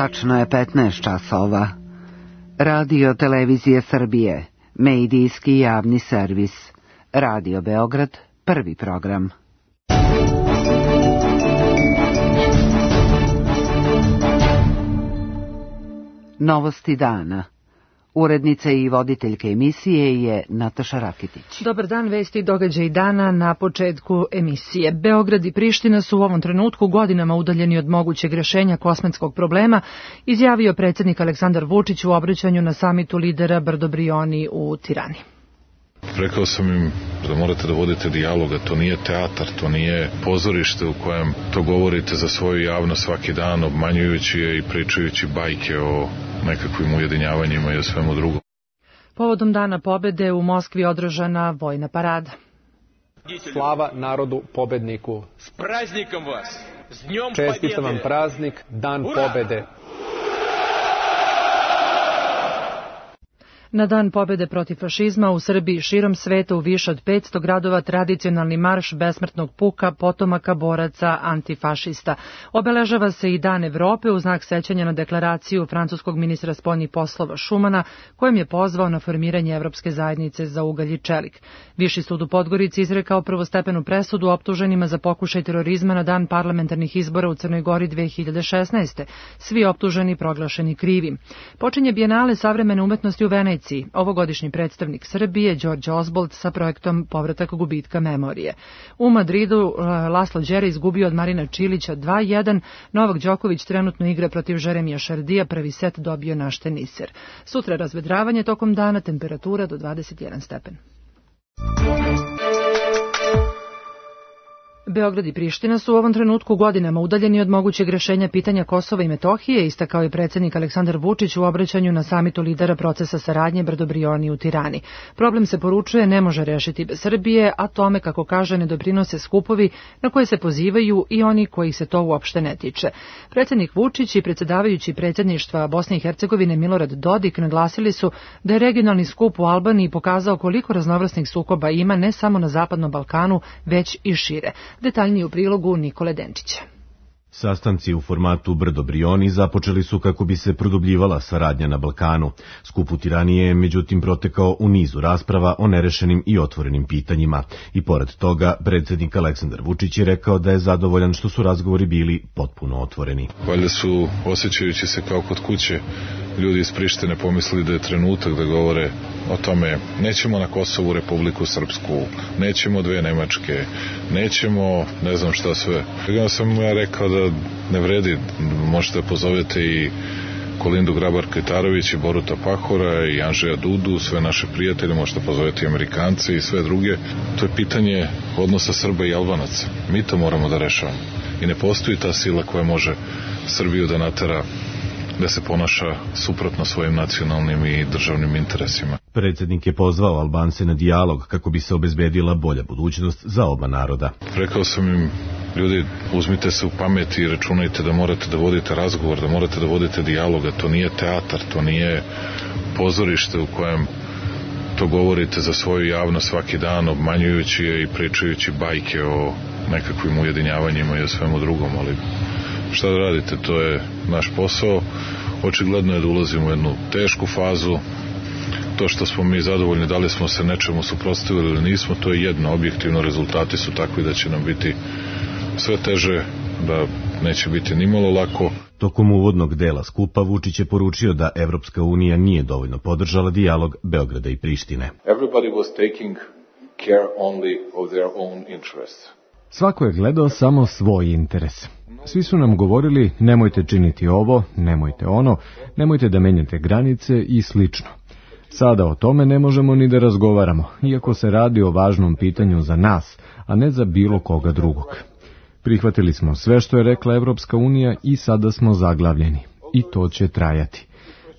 Tačno je 15 časova. Radio Televizije Srbije, medijski javni servis. Radio Beograd, prvi program. Novosti dana. Urednica i voditeljka emisije je Nataša Rakitić. Dobar dan, vesti i događaj dana na početku emisije. Beograd i Priština su u ovom trenutku godinama udaljeni od mogućeg rješenja kosmetskog problema, izjavio predsjednik Aleksandar Vučić u obraćanju na samitu lidera Brdo-Brioni u Tirani. Rekao sam im da morate da vodite dijaloga, to nije teatar, to nije pozorište u kojem to govorite za svoju javnost svaki dan, obmanjujući je i pričajući bajke o nekakvim ujedinjavanjima i o svemu drugom. Povodom Dana pobede u Moskvi održana vojna parada. Slava narodu pobedniku. S praznikom vas! S dnjom Čestitam vam praznik, Dan pobede. Na Dan pobjede protiv fašizma u Srbiji širom sveta u više od 500 gradova tradicionalni marš besmrtnog puka potomaka boraca antifašista. Obeležava se i Dan Evrope u znak sećanja na deklaraciju francuskog ministra spoljnih poslova Šumana, kojim je pozvao na formiranje Evropske zajednice za ugalj i čelik. Viši sud u Podgorici izrekao prvostepenu presudu optuženima za pokušaj terorizma na dan parlamentarnih izbora u Crnoj Gori 2016. Svi optuženi proglašeni krivim. Počinje Bijenale savremene umetnosti u Veneciji. Ovogodišnji predstavnik Srbije, Đorđe Osbolt, sa projektom Povratak gubitka memorije. U Madridu Laslo Đere izgubio od Marina Čilića 2-1, Novak Đoković trenutno igra protiv Jeremija Šardija, prvi set dobio naš teniser. Sutra razvedravanje tokom dana, temperatura do 21 stepen. Beograd i Priština su u ovom trenutku godinama udaljeni od mogućeg rješenja pitanja Kosova i Metohije, istakao je predsjednik Aleksandar Vučić u obraćanju na samitu lidera procesa saradnje Brdo-Brioni u Tirani. Problem se poručuje ne može rešiti bez Srbije, a tome, kako kaže, ne doprinose skupovi na koje se pozivaju i oni kojih se to uopšte ne tiče. Predsjednik Vučić i predsjedavajući predsjedništva Bosne i Hercegovine Milorad Dodik naglasili su da je regionalni skup u Albaniji pokazao koliko raznovrsnih sukoba ima ne samo na Zapadnom Balkanu, već i šire. Detaljnije u prilogu Nikole Denčića. Sastanci u formatu Brdo-Brioni započeli su kako bi se produbljivala saradnja na Balkanu. Skup u Tirani je međutim protekao u nizu rasprava o nerešenim i otvorenim pitanjima. I pored toga, predsjednik Aleksandar Vučić je rekao da je zadovoljan što su razgovori bili potpuno otvoreni. Valjda su, osjećajući se kao kod kuće, ljudi iz Prištine pomislili da je trenutak da govore o tome: nećemo na Kosovu Republiku Srpsku, nećemo dve Nemačke, nećemo ne znam šta sve. Ja sam rekao da ne vredi, možete da pozovete i Kolindu Grabar-Kitarović i Boruta Pahora i Andžeja Dudu, sve naše prijatelje, možete pozoveti i Amerikance i sve druge. To je pitanje odnosa Srba i Albanaca. Mi to moramo da rešavamo. I ne postoji ta sila koja može Srbiju da natera da se ponaša suprotno svojim nacionalnim i državnim interesima. Predsjednik je pozvao Albance na dijalog kako bi se obezbedila bolja budućnost za oba naroda. Rekao sam im: ljudi, uzmite se u pamet i računajte da morate da vodite razgovor, da morate da vodite dijaloga. To nije teatar, to nije pozorište u kojem to govorite za svoju javnost svaki dan, obmanjujući je i pričajući bajke o nekakvim ujedinjavanjima i o svemu drugom, ali šta da radite, to je naš posao. Očigledno je da ulazimo u jednu tešku fazu. To što smo mi zadovoljni, da li smo se nečemu suprotstavili ili nismo, to je jedno. Objektivno rezultati su takvi da će nam biti sve teže, da neće biti nimalo lako. Tokom uvodnog dela skupa Vučić je poručio da Evropska unija nije dovoljno podržala dijalog Beograda i Prištine. Everybody was taking care only of their own interests. Svako je gledao samo svoj interes. Svi su nam govorili: nemojte činiti ovo, nemojte ono, nemojte da menjate granice i slično. Sada o tome ne možemo ni da razgovaramo, iako se radi o važnom pitanju za nas, a ne za bilo koga drugog. Prihvatili smo sve što je rekla Evropska unija i sada smo zaglavljeni. I to će trajati.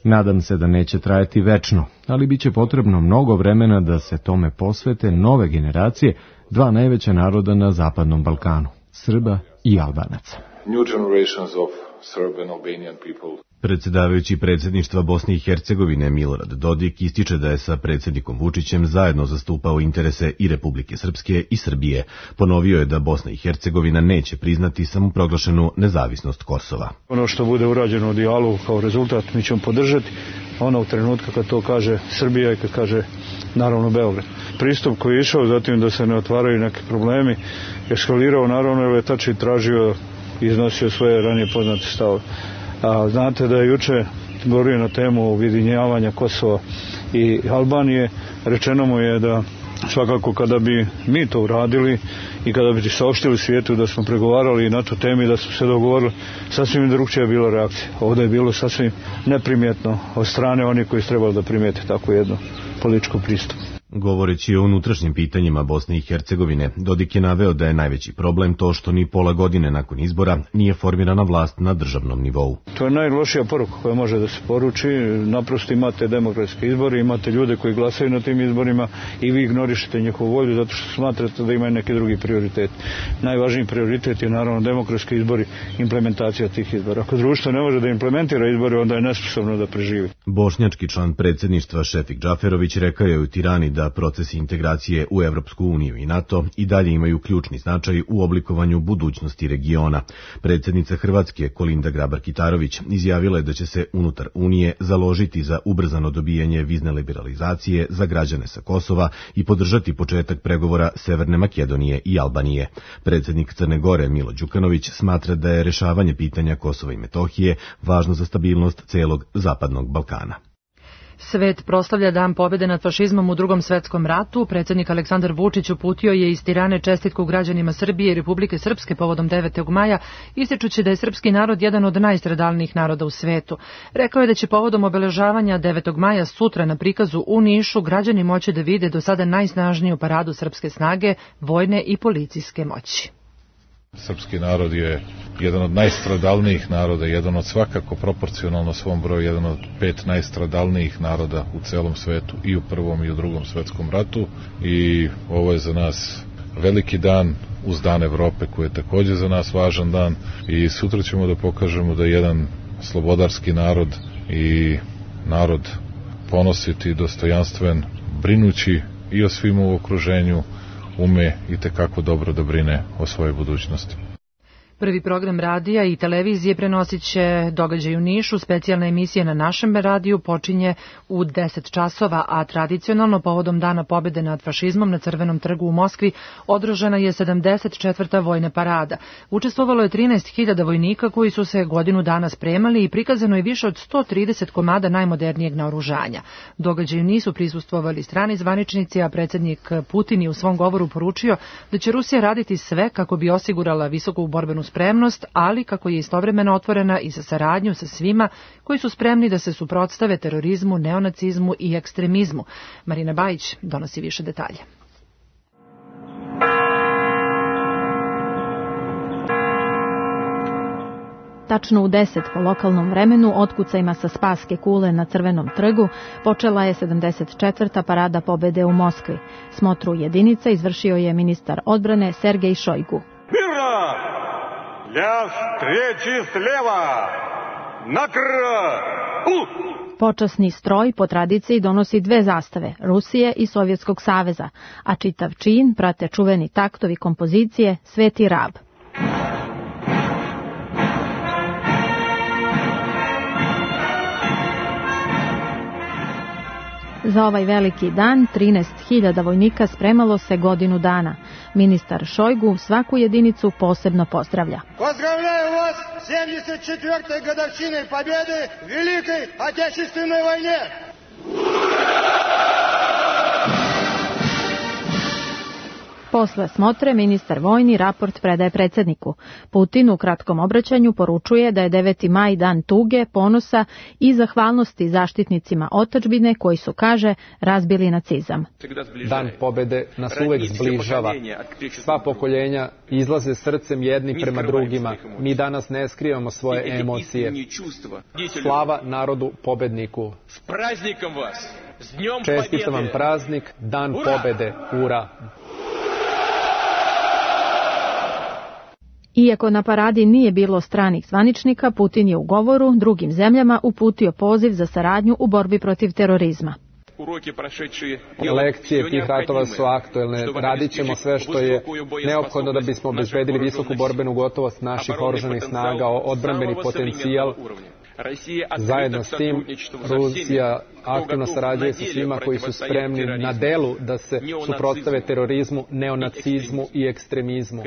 Nadam se da neće trajati večno, ali bit će potrebno mnogo vremena da se tome posvete nove generacije, dva najveća naroda na Zapadnom Balkanu, Srba i Albanaca. New generations of Serb and Albanian people. Predsjedavajući predsjedništva Bosne i Hercegovine Milorad Dodik ističe da je sa predsjednikom Vučićem zajedno zastupao interese i Republike Srpske i Srbije. Ponovio je da Bosna i Hercegovina neće priznati samoproglašenu nezavisnost Kosova. Ono što bude urađeno u dijalogu kao rezultat mi ćemo podržati, ono u trenutka kad to kaže Srbija i kad kaže naravno Beograd. Pristup koji je išao zatim da se ne otvaraju neki problemi, eskalirao naravno jer je Tači tražio i iznosio svoje ranije poznate stavove. Znate da je juče govorio na temu ujedinjavanja Kosova i Albanije. Rečeno mu je da svakako kada bi mi to uradili i kada bi saopštili svijetu da smo pregovarali na tu temi, da smo se dogovorili, sasvim drugčija je bila reakcija. Ovdje je bilo sasvim neprimjetno od strane onih koji su trebali da primijete tako jedno političko pristup. Govoreći o unutrašnjim pitanjima Bosne i Hercegovine, Dodik je naveo da je najveći problem to što ni pola godine nakon izbora nije formirana vlast na državnom nivou. To je najlošija poruka koja može da se poruči. Naprosto imate demokratske izbore, imate ljude koji glasaju na tim izborima i vi ignorišete njihovu volju zato što smatrate da imaju neki drugi prioritet. Najvažniji prioritet je naravno demokratski izbori, implementacija tih izbora. Ako društvo ne može da implementira izbore, onda je nesposobno da preživi. Bošnjački član predsjedništva Šefik Džaferović rekao je u Tirani da procesi integracije u Evropsku uniju i NATO i dalje imaju ključni značaj u oblikovanju budućnosti regiona. Predsjednica Hrvatske Kolinda Grabar-Kitarović izjavila je da će se unutar Unije založiti za ubrzano dobijanje vizne liberalizacije za građane sa Kosova i podržati početak pregovora Severne Makedonije i Albanije. Predsjednik Crne Gore Milo Đukanović smatra da je rešavanje pitanja Kosova i Metohije važno za stabilnost celog Zapadnog Balkana. Svet proslavlja Dan pobjede nad fašizmom u Drugom svetskom ratu. Predsjednik Aleksandar Vučić uputio je iz Tirane čestitku građanima Srbije i Republike Srpske povodom 9. maja, ističući da je srpski narod jedan od najstradalnijih naroda u svetu. Rekao je da će povodom obeležavanja 9. maja sutra na prikazu u Nišu građani moći da vide do sada najsnažniju paradu srpske snage, vojne i policijske moći. Srpski narod je jedan od najstradalnijih naroda, jedan od svakako proporcionalno svom broju, jedan od 5 najstradalnijih naroda u celom svetu i u Prvom i u Drugom svetskom ratu i ovo je za nas veliki dan uz Dan Evrope koji je također za nas važan dan i sutra ćemo da pokažemo da jedan slobodarski narod i narod ponositi, dostojanstven, brinući i o svim u okruženju, ume i tekako dobro da brine o svojoj budućnosti. Prvi program radija i televizije prenosit će događaj u Nišu. Specijalna emisija na našem radiju počinje u 10 časova, a tradicionalno povodom Dana pobjede nad fašizmom na Crvenom trgu u Moskvi održana je 74. vojna parada. Učestvovalo je 13.000 vojnika koji su se godinu dana spremali i prikazano je više od 130 komada najmodernijeg naoružanja. Događaju nisu prisustvovali strani zvaničnici, a predsjednik Putin je u svom govoru poručio da će Rusija raditi sve kako bi osigurala visoku borbenu spremnost, ali kako je istovremeno otvorena i za saradnju sa svima koji su spremni da se suprotstave terorizmu, neonacizmu i ekstremizmu. Marina Bajić donosi više detalja. Tačno u 10 po lokalnom vremenu otkucajima sa Spaske kule na Crvenom trgu počela je 74. parada pobjede u Moskvi. Smotru jedinica izvršio je ministar odbrane Sergej Šojgu. Počasni stroj po tradiciji donosi 2 zastave, Rusije i Sovjetskog saveza, a čitav čin prate čuveni taktovi kompozicije Sveti Rab. Za ovaj veliki dan 13.000 vojnika spremalo se godinu dana. Ministar Šojgu svaku jedinicu posebno pozdravlja. Pozdravljaju vas 74. годовщиной победы в Великой Отечественной войне! Posle smotre ministar vojni raport predaje predsjedniku. Putin u kratkom obraćanju poručuje da je 9. maj dan tuge, ponosa i zahvalnosti zaštitnicima otadžbine koji su, kaže, razbili nacizam. Dan pobjede nas uvek zbližava. Sva pokoljenja izlaze srcem jedni prema drugima. Mi danas ne skrivamo svoje emocije. Slava narodu pobedniku. Čestitam vam praznik, Dan pobjede. Ura! Iako na paradi nije bilo stranih zvaničnika, Putin je u govoru drugim zemljama uputio poziv za saradnju u borbi protiv terorizma. Lekcije tih ratova su aktuelne. Radit ćemo sve što je neophodno da bismo obezbedili visoku borbenu gotovost naših oružanih snaga, odbrambeni potencijal. Zajedno s tim, Rusija aktivno sarađuje sa svima koji su spremni na delu da se suprotstave terorizmu, neonacizmu i ekstremizmu.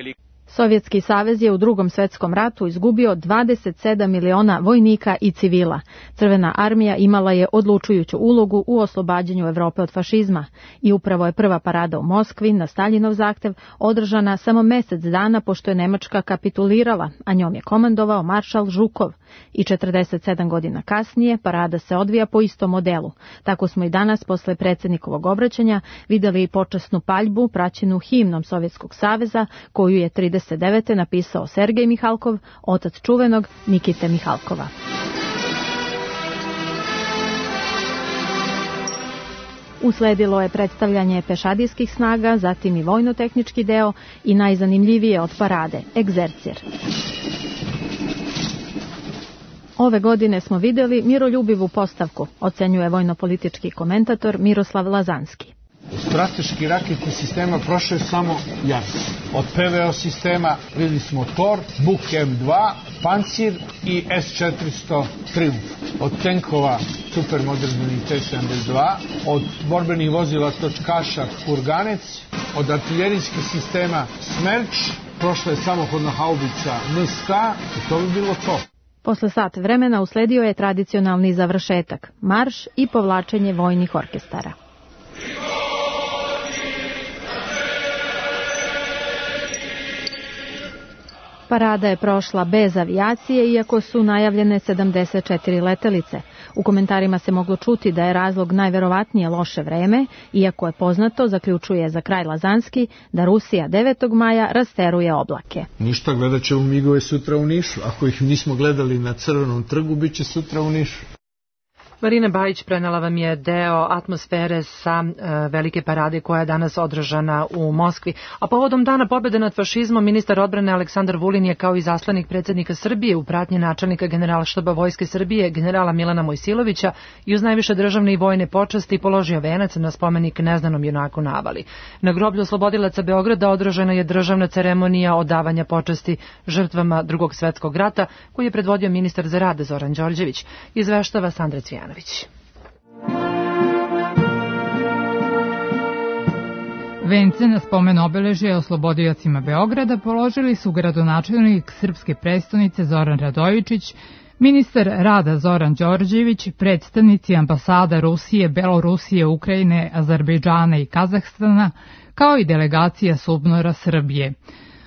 Sovjetski savez je u Drugom svetskom ratu izgubio 27 miliona vojnika i civila. Crvena armija imala je odlučujuću ulogu u oslobađanju Evrope od fašizma i upravo je prva parada u Moskvi na Staljinov zahtev održana samo mesec dana pošto je Nemačka kapitulirala, a njom je komandovao maršal Žukov. I 47 godina kasnije parada se odvija po istom modelu. Tako smo i danas posle predsjednikovog obraćanja videli i počasnu paljbu praćenu himnom Sovjetskog saveza koju je 1939. napisao Sergej Mihalkov, otac čuvenog Nikite Mihalkova. Usledilo je predstavljanje pešadijskih snaga, zatim i vojno-tehnički deo i najzanimljivije od parade, egzercir. Ove godine smo vidjeli miroljubivu postavku, ocenjuje vojno-politički komentator Miroslav Lazanski. U strateški raketni sistema prošao je samo Jars. Od PVO sistema vidjeli smo Tor, Buk M2, Pancir i S-400 Triumf. Od tenkova supermoderni T-72, od borbenih vozila točkaša Kurganec, od artiljerijskih sistema Smerč, prošla je samohodna haubica MSK i to bi bilo to. Posle sat vremena usledio je tradicionalni završetak, marš i povlačenje vojnih orkestara. Parada je prošla bez avijacije, iako su najavljene 74 letelice. U komentarima se moglo čuti da je razlog najverovatnije loše vreme, iako je poznato, zaključuje za kraj Lazanski, da Rusija 9. maja rasteruje oblake. Ništa, gledat ćemo migove sutra u Nišu. Ako ih nismo gledali na Crvenom trgu, bit će sutra u Nišu. Marina Bajić prenela vam je deo atmosfere sa velike parade koja je danas održana u Moskvi. A povodom Dana pobjede nad fašizmom, ministar odbrane Aleksandar Vulin je kao i zaslanik predsjednika Srbije u pratnji načelnika Generalštaba Vojske Srbije generala Milana Mojsilovića i uz najviše državne i vojne počasti položio venac na spomenik neznanom junaku na Avali. Na groblju oslobodilaca Beograda održana je državna ceremonija odavanja počasti žrtvama Drugog svjetskog rata koji je predvodio ministar za rad Zoran Đorđević. Izveštava Sandra Cvijanović. Vence na spomen obeležja oslobodiocima Beograda položili su gradonačelnik srpske prestonice Zoran Radojičić, ministar rada Zoran Đorđević, predstavnici ambasada Rusije, Belorusije, Ukrajine, Azerbejdžana i Kazahstana, kao i delegacija SUBNOR-a Srbije.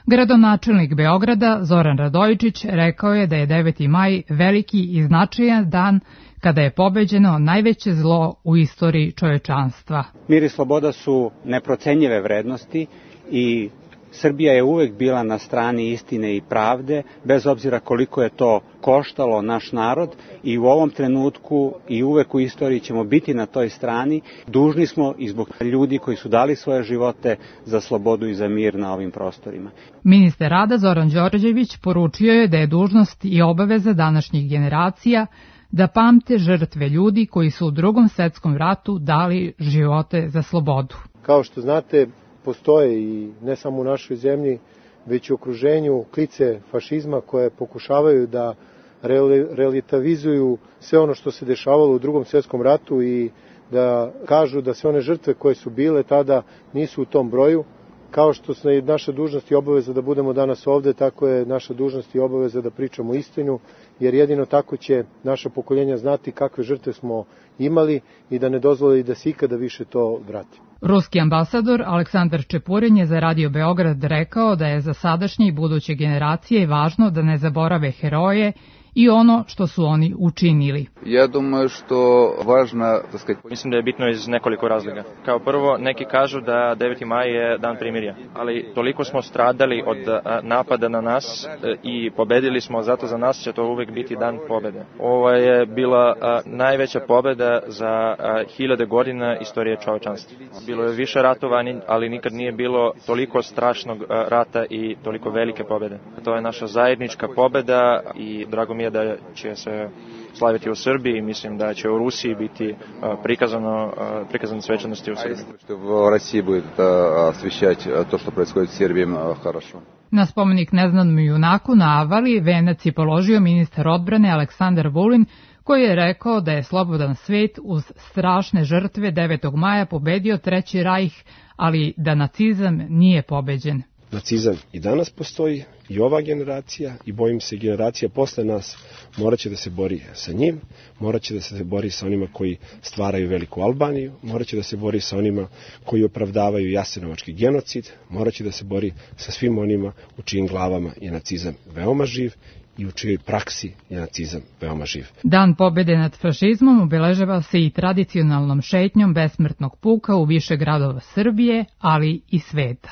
Gradonačelnik Beograda Zoran Radojičić rekao je da je 9. maj veliki i značajan dan kada je pobeđeno najveće zlo u istoriji čovečanstva. Mir i sloboda su neprocenjive vrednosti i Srbija je uvek bila na strani istine i pravde, bez obzira koliko je to koštalo naš narod, i u ovom trenutku i uvek u istoriji ćemo biti na toj strani. Dužni smo i zbog ljudi koji su dali svoje živote za slobodu i za mir na ovim prostorima. Ministar rada Zoran Đorđević poručio je da je dužnost i obaveza današnjih generacija da pamte žrtve ljudi koji su u Drugom svjetskom ratu dali živote za slobodu. Kao što znate, postoje i ne samo u našoj zemlji, već i u okruženju klice fašizma koje pokušavaju da relativizuju sve ono što se dešavalo u Drugom svjetskom ratu i da kažu da sve one žrtve koje su bile tada nisu u tom broju. Kao što je naša dužnost i obaveza da budemo danas ovde, tako je naša dužnost i obaveza da pričamo istinu, jer jedino tako će naša pokoljenja znati kakve žrtve smo imali i da ne dozvoli da se ikada više to vrati. Ruski ambasador Aleksandar Čepurin je za Radio Beograd rekao da je za sadašnje i buduće generacije važno da ne zaborave heroje i ono što su oni učinili. Ja думаю što važna, Mislim da je bitno iz nekoliko razloga. Kao prvo, neki kažu da 9. maj je dan primirja, ali toliko smo stradali od napada na nas i pobedili smo, zato za nas će to uvek biti dan pobede. Ovo je bila najveća pobeda za 1000 godina istorije čovečanstva. Bilo je više ratova, ali nikad nije bilo toliko strašnog rata i toliko velike pobjede. To je naša zajednička pobjeda i drago mi je da će se slaviti u Srbiji i mislim da će u Rusiji biti prikazane svečanosti u Srbiji. U Rusiji bude osvješćati to što происходит u Srbiji хорошо. Na spomenik neznanom junaku na Avali venac je položio ministar odbrane Aleksandar Vulin, koji je rekao da je slobodan svet uz strašne žrtve 9. maja pobedio Treći rajh, ali da nacizam nije pobeđen. Nacizam i danas postoji, i ova generacija, i bojim se generacija posle nas morat će da se bori sa njim, morat će da se bori sa onima koji stvaraju veliku Albaniju, morat će da se bori sa onima koji opravdavaju jasenovački genocid, morat će da se bori sa svim onima u čijim glavama je nacizam veoma živ i u čijoj praksi je nacizam veoma živ. Dan pobjede nad fašizmom obeležava se i tradicionalnom šetnjom besmrtnog puka u više gradova Srbije, ali i sveta.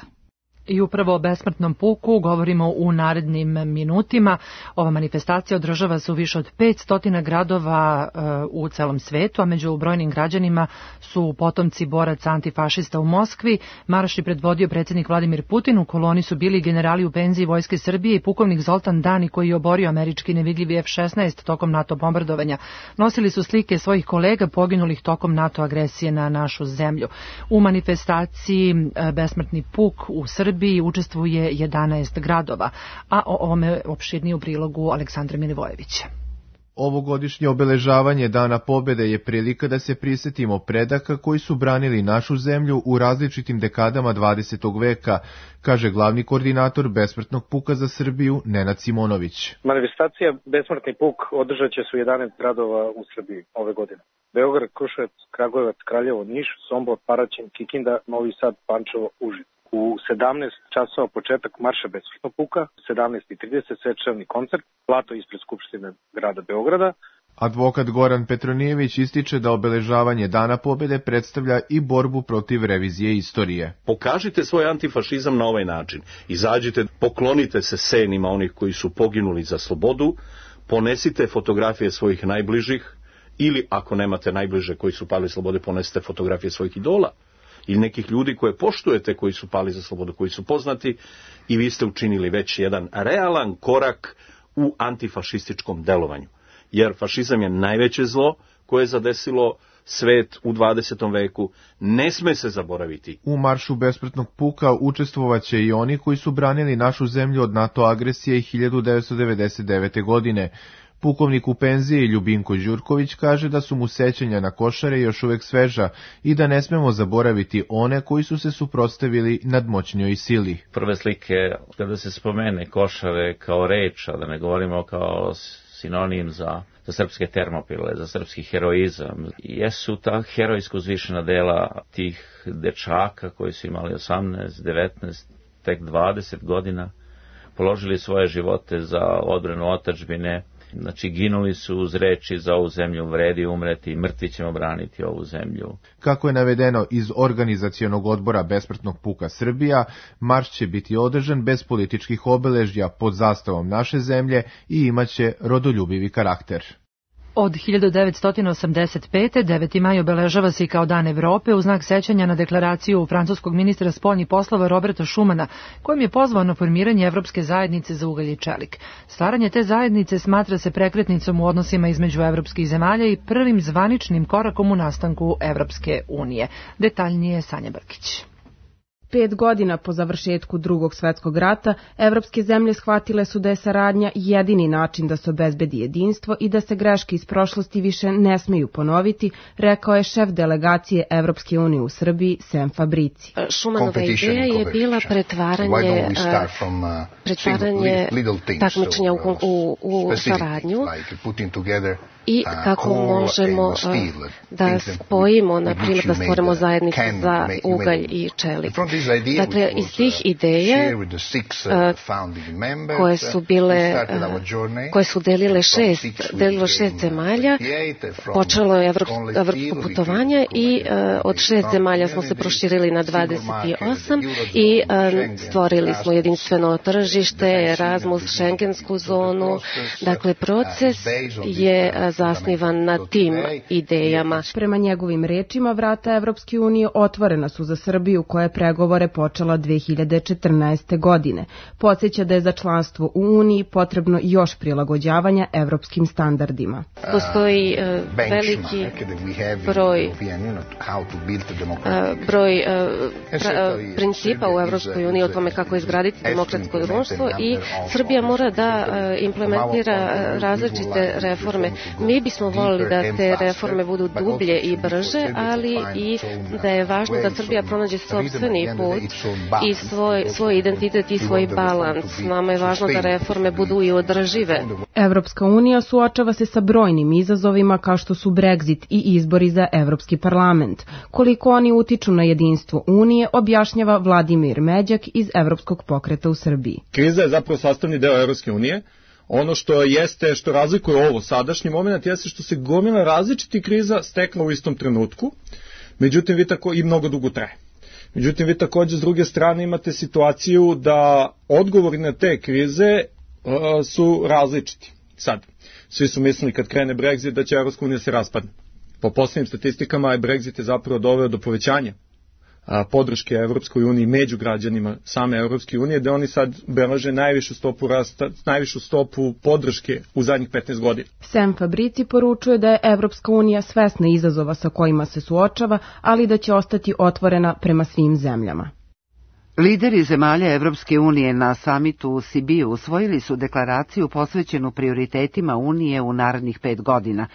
I upravo o besmrtnom puku govorimo u narednim minutima. Ova manifestacija održava se u više od 500 gradova u celom svetu, a među brojnim građanima su potomci boraca antifašista u Moskvi. Marš je predvodio predsjednik Vladimir Putin, u koloni su bili generali u penziji Vojske Srbije i pukovnik Zoltan Dani koji je oborio američki nevidljivi F-16 tokom NATO bombardovanja. Nosili su slike svojih kolega poginulih tokom NATO agresije na našu zemlju. U manifestaciji besmrtni puk u Srbiji učestvuje 11 gradova, a o ovome opširnije u prilogu Aleksandra Milivojevića. Ovogodišnje obeležavanje Dana pobjede je prilika da se prisjetimo predaka koji su branili našu zemlju u različitim dekadama 20. veka, kaže glavni koordinator besmrtnog puka za Srbiju Nenad Simonović. Manifestacija Besmrtni puk održat će se u 11 gradova u Srbiji ove godine. Beograd, Kruševac, Kragujevac, Kraljevo, Niš, Sombor, Paraćin, Kikinda, Novi Sad, Pančevo, Užice. U 17 časova početak marša besmrtnog puka, 17:30 svečani koncert, plato ispred Skupštine grada Beograda. Advokat Goran Petronijević ističe da obeležavanje Dana pobjede predstavlja i borbu protiv revizije istorije. Pokažite svoj antifašizam na ovaj način. Izađite, poklonite se senima onih koji su poginuli za slobodu, ponesite fotografije svojih najbližih ili ako nemate najbliže koji su pali slobode, ponesite fotografije svojih idola ili nekih ljudi koje poštujete koji su pali za slobodu, koji su poznati i vi ste učinili već jedan realan korak u antifašističkom delovanju. Jer fašizam je najveće zlo koje je zadesilo svet u 20. veku, ne sme se zaboraviti. U maršu besmrtnog puka učestvovaće i oni koji su branili našu zemlju od NATO agresije 1999. godine. Pukovnik u penziji Ljubinko Đurković kaže da su mu sećanja na Košare još uvek sveža i da ne smemo zaboraviti one koji su se suprotstavili nadmoćnjoj sili. Prve slike, kada se spomene Košare kao reč, a da ne govorimo kao sinonim za srpske termopile, za srpski heroizam, jesu ta herojsko uzvišena dela tih dečaka koji su imali 18, 19, tek 20 godina, položili svoje živote za odbranu otadžbine. Znači, ginuli su uz reči za ovu zemlju vredi umreti, mrtvi ćemo braniti ovu zemlju. Kako je navedeno iz organizacionog odbora Besmrtnog puka Srbija, marš će biti održan bez političkih obeležja pod zastavom naše zemlje i imaće rodoljubivi karakter. Od 1985. 9. maj obeležava se i kao Dan Evrope u znak sećanja na deklaraciju francuskog ministra spoljnih poslova Roberta Schumana, kojim je pozvao na formiranje Evropske zajednice za ugalj i čelik. Stvaranje te zajednice smatra se prekretnicom u odnosima između evropskih zemalja i prvim zvaničnim korakom u nastanku Evropske unije. Detaljnije Sanja Brkić. 5 godina po završetku Drugog svetskog rata, evropske zemlje shvatile su da je saradnja jedini način da se obezbedi jedinstvo i da se greške iz prošlosti više ne smeju ponoviti, rekao je šef delegacije Evropske unije u Srbiji, Sem Fabrici. Šumanova ideja je bila pretvaranje takmičenja u saradnju i kako možemo da spojimo, na primjer da stvorimo zajednicu za ugalj i čelik. Dakle, iz tih ideja koje su delilo šest zemalja, počelo je evropsko putovanje i od 6 zemalja smo se proširili na 28 i stvorili smo jedinstveno tržište, Erasmus, Schengensku zonu. Dakle, proces je zasnivan na tim idejama. Prema njegovim rečima, vrata Evropske unije otvorena su za Srbiju koja je pregovore počela 2014. godine. Podsjeća da je za članstvo u Uniji potrebno još prilagođavanja evropskim standardima. Postoji veliki broj principa u Evropskoj uniji o tome kako izgraditi demokratsko društvo i Srbija mora da implementira različite reforme. Mi bismo volili da te reforme budu dublje i brže, ali i da je važno da Srbija pronađe sopstveni put i svoj identitet i svoj balans. Nama je važno da reforme budu i održive. Evropska unija suočava se sa brojnim izazovima kao što su Brexit i izbori za Evropski parlament. Koliko oni utiču na jedinstvo Unije, objašnjava Vladimir Međak iz Evropskog pokreta u Srbiji. Kriza je zapravo sastavni deo Evropske unije. Ono što razlikuje ovo sadašnji moment jeste što se gomila različitih kriza stekla u istom trenutku, međutim i mnogo dugo traje. Međutim, vi također s druge strane imate situaciju da odgovori na te krize su različiti. Sad, svi su mislili kad krene Brexit da će Evropska unija se raspadne. Po posljednjim statistikama je Brexit zapravo doveo do povećanja podrške Evropskoj uniji među građanima same Evropske unije, da oni sad beleže najvišu stopu podrške u zadnjih 15 godina. Sam Fabrici poručuje da je Evropska unija svesna izazova sa kojima se suočava, ali da će ostati otvorena prema svim zemljama. Lideri zemalja Evropske unije na samitu u Sibiju usvojili su deklaraciju posvećenu prioritetima Unije u narednih 5 godina,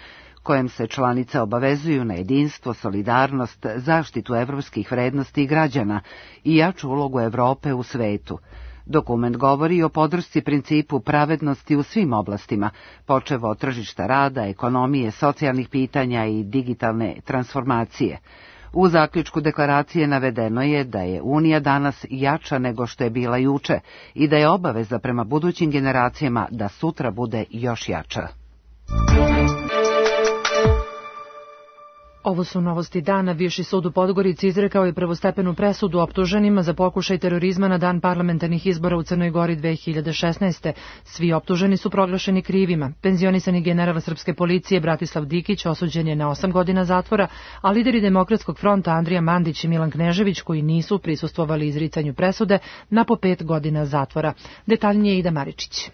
kojem se članice obavezuju na jedinstvo, solidarnost, zaštitu evropskih vrednosti i građana i jaču ulogu Evrope u svetu. Dokument govori o podršci principu pravednosti u svim oblastima, počev od tržišta rada, ekonomije, socijalnih pitanja i digitalne transformacije. U zaključku deklaracije navedeno je da je Unija danas jača nego što je bila juče i da je obaveza prema budućim generacijama da sutra bude još jača. Ovo su novosti dana. Viši sud u Podgorici izrekao je prvostepenu presudu optuženima za pokušaj terorizma na dan parlamentarnih izbora u Crnoj Gori 2016. Svi optuženi su proglašeni krivima. Penzionisani general srpske policije Bratislav Dikić osuđen je na 8 godina zatvora, a lideri Demokratskog fronta Andrija Mandić i Milan Knežević, koji nisu prisustvovali izricanju presude, na po 5 godina zatvora. Detaljnije Ida Maričić.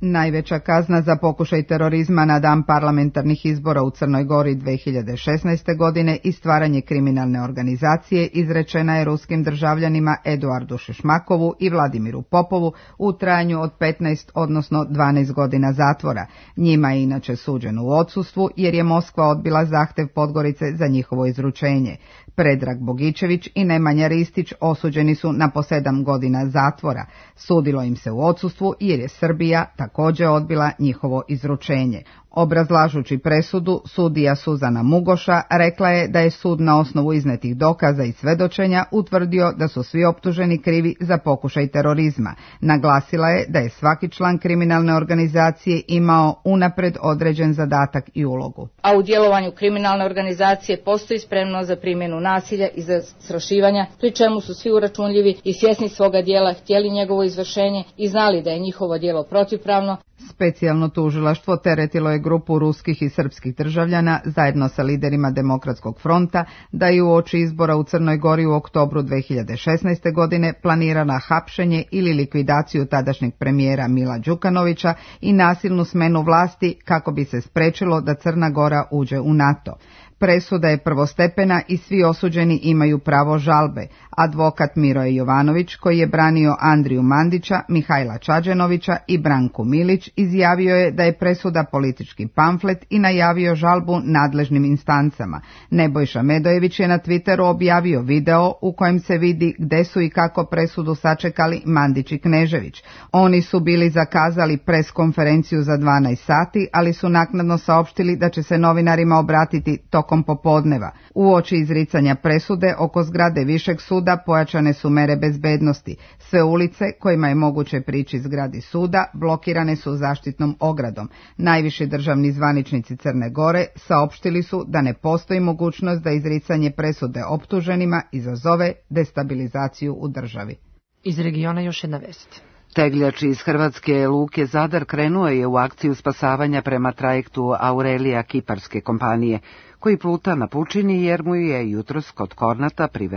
Najveća kazna za pokušaj terorizma na dan parlamentarnih izbora u Crnoj Gori 2016. godine i stvaranje kriminalne organizacije izrečena je ruskim državljanima Eduardu Šešmakovu i Vladimiru Popovu u trajanju od 15, odnosno 12 godina zatvora. Njima je inače suđeno u odsustvu jer je Moskva odbila zahtev Podgorice za njihovo izručenje. Predrag Bogičević i Nemanja Ristić osuđeni su na po 7 godina zatvora. Sudilo im se u odsustvu jer je Srbija također odbila njihovo izručenje. Obrazlažući presudu, sudija Suzana Mugoša rekla je da je sud na osnovu iznetih dokaza i svedočenja utvrdio da su svi optuženi krivi za pokušaj terorizma. Naglasila je da je svaki član kriminalne organizacije imao unapred određen zadatak i ulogu. A u djelovanju kriminalne organizacije postoji spremnost za primjenu nasilja i zastrašivanja, pri čemu su svi uračunljivi i svjesni svoga djela, htjeli njegovo izvršenje i znali da je njihovo djelo protivpravno. Specijalno tužilaštvo teretilo je grupu ruskih i srpskih državljana zajedno sa liderima Demokratskog fronta da je uoči izbora u Crnoj Gori u oktobru 2016. godine planirana hapšenje ili likvidaciju tadašnjeg premijera Mila Đukanovića i nasilnu smenu vlasti kako bi se sprečilo da Crna Gora uđe u NATO. Presuda je prvostepena i svi osuđeni imaju pravo žalbe. Advokat Miroje Jovanović, koji je branio Andriju Mandića, Mihajla Čađenovića i Branku Milić, izjavio je da je presuda politički pamflet i najavio žalbu nadležnim instancama. Nebojša Medojević je na Twitteru objavio video u kojem se vidi gde su i kako presudu sačekali Mandić i Knežević. Oni su bili zakazali pres konferenciju za 12 sati, ali su naknadno saopštili da će se novinarima obratiti tokom tokom popodneva. Uoči izricanja presude oko zgrade Višeg suda pojačane su mere bezbednosti. Sve ulice kojima je moguće prići zgradi suda blokirane su zaštitnom ogradom. Najviši državni zvaničnici Crne Gore saopštili su da ne postoji mogućnost da izricanje presude optuženima izazove destabilizaciju u državi. Iz regiona još jedna vest. Tegljač iz hrvatske luke Zadar krenuo je u akciju spasavanja prema trajektu Aurelija kiparske kompanije, koji pluta na pučini jer mu je jutros kod Kornata pri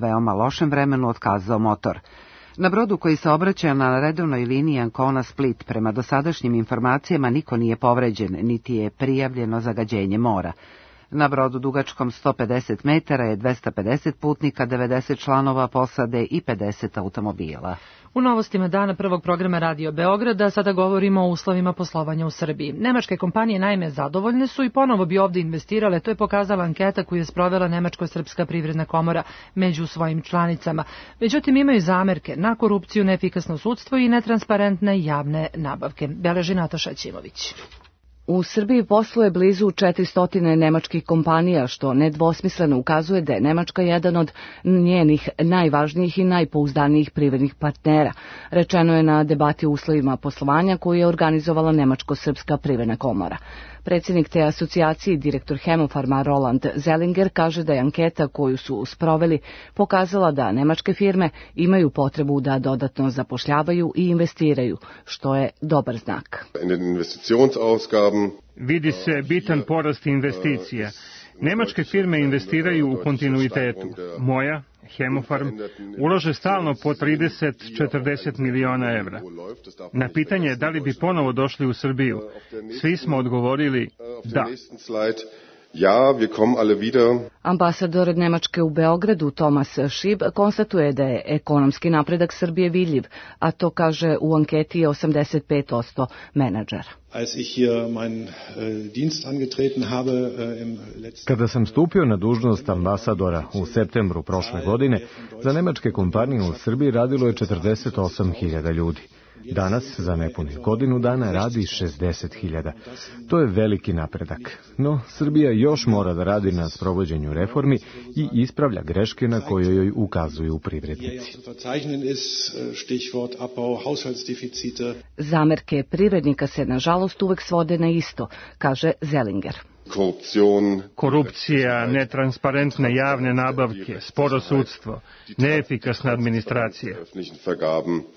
veoma lošem vremenu otkazao motor. Na brodu koji se obraća na redovnoj liniji Ancona-Split prema dosadašnjim informacijama niko nije povređen, niti je prijavljeno zagađenje mora. Na brodu dugačkom 150 metara je 250 putnika, 90 članova posade i 50 automobila. U novostima dana prvog programa Radio Beograda sada govorimo o uslovima poslovanja u Srbiji. Nemačke kompanije naime zadovoljne su i ponovo bi ovdje investirale, to je pokazala anketa koju je sprovela Nemačko-srpska privredna komora među svojim članicama. Međutim, imaju zamerke na korupciju, neefikasno sudstvo i netransparentne javne nabavke. Beleži Nataša Ćimović. U Srbiji posluje blizu 400 nemačkih kompanija, što nedvosmisleno ukazuje da je Nemačka jedan od njenih najvažnijih i najpouzdanijih privrednih partnera. Rečeno je na debati o uslovima poslovanja koju je organizovala Nemačko-srpska privredna komora. Predsjednik te asocijacije, direktor Hemofarma Roland Zellinger, kaže da je anketa koju su sproveli pokazala da nemačke firme imaju potrebu da dodatno zapošljavaju i investiraju, što je dobar znak. Vidi se bitan porast investicija. Nemačke firme investiraju u kontinuitetu. Moja, Hemofarm, ulože stalno po 30-40 miliona evra. Na pitanje da li bi ponovo došli u Srbiju, svi smo odgovorili da. Ja, wir kommen alle wieder. Ambasador Nemačke u Beogradu Thomas Schieb konstatuje da je ekonomski napredak Srbije vidljiv, a to kaže u anketi 85% menadžera. Kada sam stupio na dužnost ambasadora u septembru prošle godine, za nemačke kompanije u Srbiji radilo je 48.000 ljudi. Danas, za nepunih godinu dana, radi 60.000. To je veliki napredak. No, Srbija još mora da radi na sprovođenju reformi i ispravlja greške na koje joj ukazuju privrednici. Zamerke privrednika se, nažalost, uvek svode na isto, kaže Zellinger. Korupcija, netransparentne javne nabavke, sporo sudstvo, neefikasna administracija.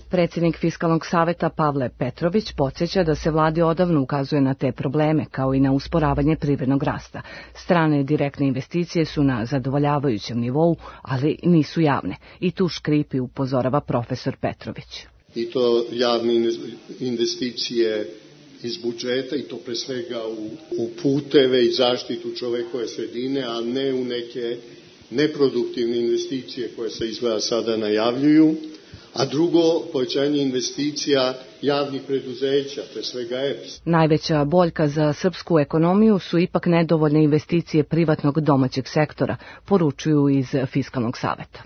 Predsjednik Fiskalnog saveta Pavle Petrović podsjeća da se vladi odavno ukazuje na te probleme, kao i na usporavanje privrednog rasta. Strane direktne investicije su na zadovoljavajućem nivou, ali nisu javne. I tu škripi, upozorava profesor Petrović. I to javne investicije iz budžeta, i to pre svega u puteve i zaštitu čovekove sredine, a ne u neke neproduktivne investicije koje se izgleda sada najavljuju. A drugo, povećanje investicija javnih preduzeća, pre svega EPS. Najveća boljka za srpsku ekonomiju su ipak nedovoljne investicije privatnog domaćeg sektora, poručuju iz Fiskalnog saveta.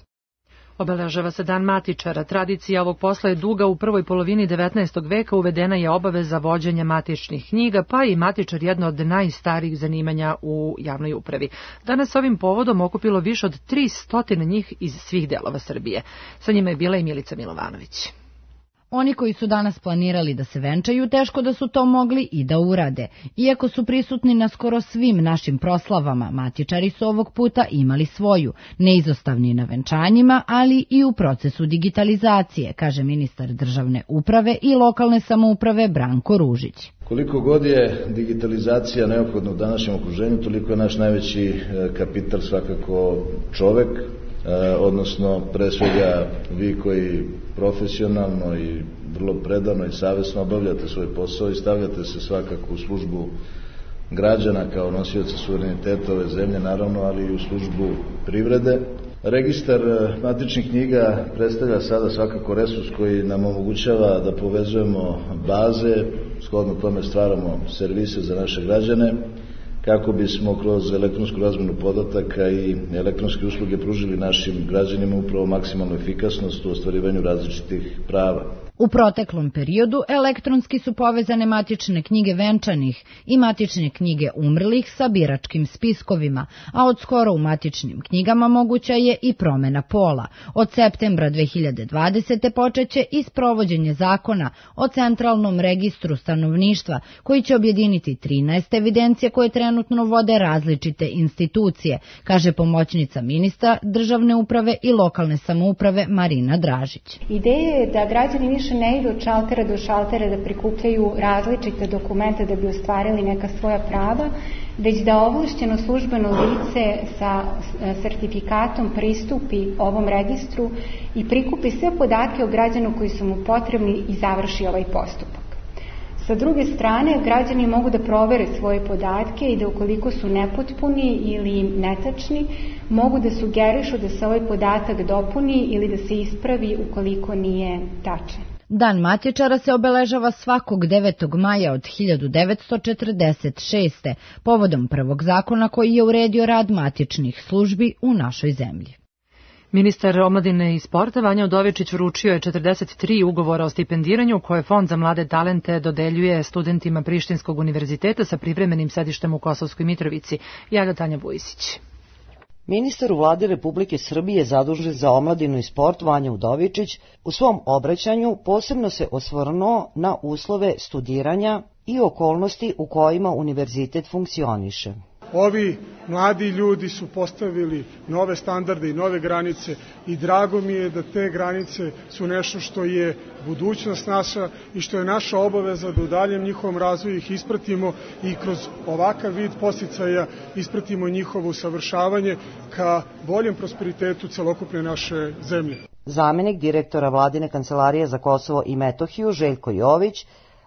Obeležava se Dan matičara. Tradicija ovog posla je duga. U prvoj polovini 19. veka uvedena je obaveza vođenja matičnih knjiga, pa i matičar jedno od najstarijih zanimanja u javnoj upravi. Danas ovim povodom okupilo više od 300 njih iz svih delova Srbije. Sa njima je bila i Milica Milovanović. Oni koji su danas planirali da se venčaju, teško da su to mogli i da urade. Iako su prisutni na skoro svim našim proslavama, matičari su ovog puta imali svoju, neizostavni na venčanjima, ali i u procesu digitalizacije, kaže ministar državne uprave i lokalne samouprave Branko Ružić. Koliko god je digitalizacija neophodna u današnjem okruženju, toliko je naš najveći kapital svakako čovek, odnosno pre svega vi koji profesionalno i vrlo predano i savesno obavljate svoj posao i stavljate se svakako u službu građana kao nosioca suvereniteta ove zemlje, naravno, ali i u službu privrede. Registar matičnih knjiga predstavlja sada svakako resurs koji nam omogućava da povezujemo baze, shodno tome stvaramo servise za naše građane, kako bismo kroz elektronsku razmenu podataka i elektronske usluge pružili našim građanima upravo maksimalnu efikasnost u ostvarivanju različitih prava. U proteklom periodu elektronski su povezane matične knjige venčanih i matične knjige umrlih sa biračkim spiskovima, a od skoro u matičnim knjigama moguća je i promena pola. Od septembra 2020. počeće i sprovođenje zakona o centralnom registru stanovništva, koji će objediniti 13 evidencije koje trenutno vode različite institucije, kaže pomoćnica ministra državne uprave i lokalne samouprave Marina Dražić. Ideja je da građani više ne idu od šaltera do šaltera da prikupljaju različite dokumente da bi ostvarili neka svoja prava, već da ovlašćeno službeno lice sa sertifikatom pristupi ovom registru i prikupi sve podatke o građanu koji su mu potrebni i završi ovaj postupak. Sa druge strane, građani mogu da provere svoje podatke i da ukoliko su nepotpuni ili netačni, mogu da sugerišu da se ovaj podatak dopuni ili da se ispravi ukoliko nije tačan. Dan matičara se obeležava svakog 9. maja od 1946. povodom prvog zakona koji je uredio rad matičnih službi u našoj zemlji. Ministar omladine i sporta Vanja Udovičić vručio je 43 ugovora o stipendiranju koje Fond za mlade talente dodeljuje studentima Prištinskog univerziteta sa privremenim sedištem u Kosovskoj Mitrovici. Javlja Tanja Bujisić. Ministar u vladi Republike Srbije zadužen za omladinu i sport Vanja Udovičić u svom obraćanju posebno se osvrnuo na uslove studiranja i okolnosti u kojima univerzitet funkcioniše. Ovi mladi ljudi su postavili nove standarde i nove granice i drago mi je da te granice su nešto što je budućnost naša i što je naša obaveza da u daljem njihovom razvoju ih ispratimo i kroz ovakav vid podsticaja ispratimo njihovo usavršavanje ka boljem prosperitetu celokupne naše zemlje. Zamenik direktora Vladine kancelarije za Kosovo i Metohiju Željko Jović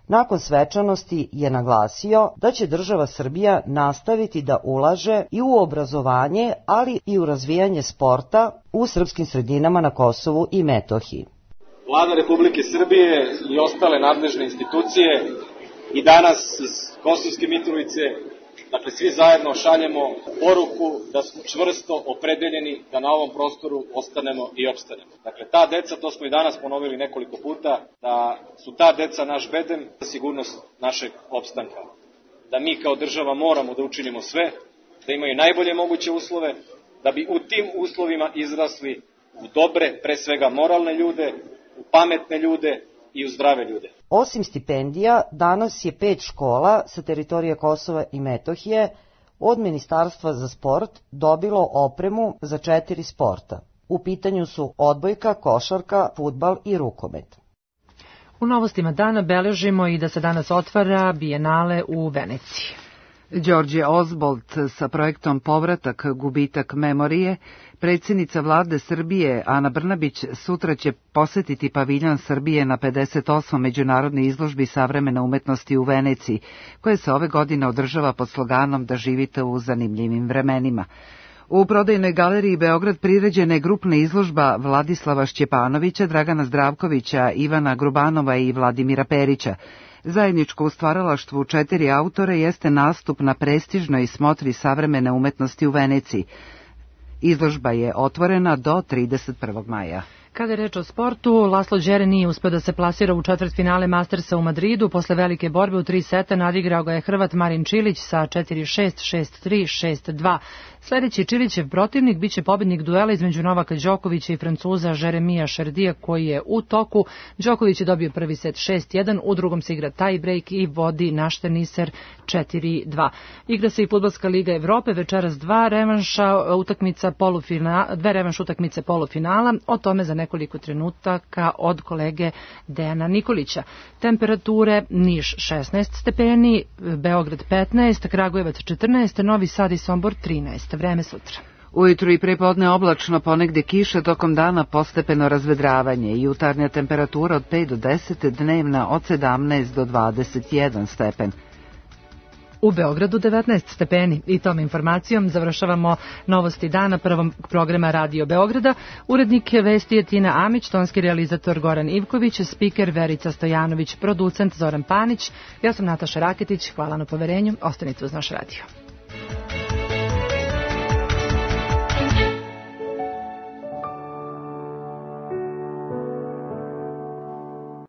nakon svečanosti je naglasio da će država Srbija nastaviti da ulaže i u obrazovanje, ali i u razvijanje sporta u srpskim sredinama na Kosovu i Metohiji. Vlada Republike Srbije i ostale nadležne institucije i danas iz Kosovske Mitrovice, dakle svi zajedno šaljemo poruku da smo čvrsto opredeljeni da na ovom prostoru ostanemo i opstanemo. Dakle, ta deca, to smo i danas ponovili nekoliko puta, da su ta deca naš bedem za sigurnost našeg opstanka. Da mi kao država moramo da učinimo sve, da imaju najbolje moguće uslove, da bi u tim uslovima izrasli u dobre, pre svega moralne ljude, u pametne ljude i u zdrave ljude. Osim stipendija, danas je 5 škola sa teritorije Kosova i Metohije od Ministarstva za sport dobilo opremu za 4 sporta. U pitanju su odbojka, košarka, fudbal i rukomet. U novostima dana beležimo i da se danas otvara Bijenale u Veneciji. Đorđe Ozbolt sa projektom Povratak, gubitak memorije, predsjednica vlade Srbije Ana Brnabić sutra će posetiti paviljon Srbije na 58. međunarodnoj izložbi savremene umetnosti u Veneciji, koje se ove godine održava pod sloganom da živite u zanimljivim vremenima. U prodajnoj galeriji Beograd priređena je grupna izložba Vladislava Šćepanovića, Dragana Zdravkovića, Ivana Grubanova i Vladimira Perića. Zajedničko u stvaralaštvu 4 autora jeste nastup na prestižnoj smotri savremene umetnosti u Veneciji. Izložba je otvorena do 31. maja. Kada je reč o sportu, Laslo Đere nije uspeo da se plasira u četvrtfinale Mastersa u Madridu. Posle velike borbe u 3 seta nadigrao ga je Hrvat Marin Čilić sa 4-6, 6-3, 6-2. Sljedeći Čilićev protivnik biće pobednik duela između Novaka Đokovića i Francuza Jeremija Šerdija koji je u toku. Đoković je dobio prvi set 6-1, u drugom se igra tie break i vodi Našterniser 4-2. Igra se i Fudbalska liga Evrope, večeras 2 revanš utakmice polufinala, o tome za nekoliko trenutaka od kolege Dejana Nikolića. Temperature: Niš 16 stepeni, Beograd 15, Kragujevac 14, Novi Sad i Sombor 13. Vreme sutra. Ujutru i prepodne oblačno, ponegde kiše, tokom dana postepeno razvedravanje. Jutarnja temperatura od 5 do 10, dnevna od 17 do 21 stepen. U Beogradu 19 stepeni. I tom informacijom završavamo novosti dana prvog programa Radio Beograda. Urednik vesti je Tina Amić, tonski realizator Goran Ivković, spiker Verica Stojanović, producent Zoran Panić. Ja sam Nataša Raketić, hvala na poverenju, ostanite uz naš radio.